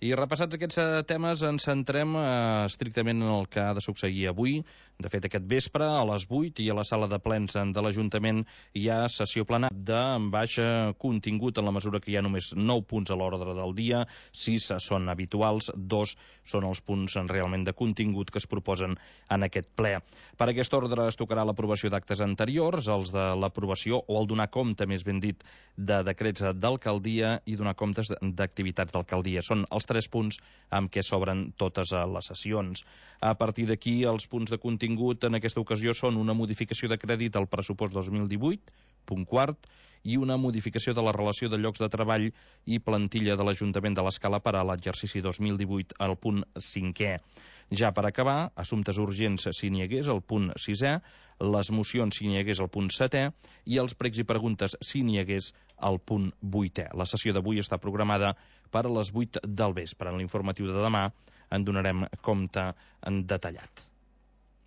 I repassats aquests temes ens centrem estrictament en el que ha de succeir avui. De fet, aquest vespre, a les 8 i a la sala de plens de l'Ajuntament hi ha sessió plenària de baix contingut en la mesura que hi ha només 9 punts a l'ordre del dia, 6 són habituals, 2 són els punts realment de contingut que es proposen en aquest ple. Per aquest ordre es tocarà l'aprovació d'actes anteriors, els de l'aprovació o el donar compte, més ben dit, de decrets d'alcaldia i donar comptes d'activitats d'alcaldia. Són els 3 punts amb què s'obren totes les sessions. A partir d'aquí, els punts de contingut en aquesta ocasió són una modificació de crèdit al pressupost 2018, punt quart, i una modificació de la relació de llocs de treball i plantilla de l'Ajuntament de l'Escala per a l'exercici 2018 al punt 5è. Ja per acabar, assumptes urgents si n'hi hagués, el punt 6è, les mocions si n'hi hagués, el punt 7è, i els pregs i preguntes si n'hi hagués, el punt 8è. La sessió d'avui està programada per a les 8 del vespre. En l'informatiu de demà en donarem compte en detallat.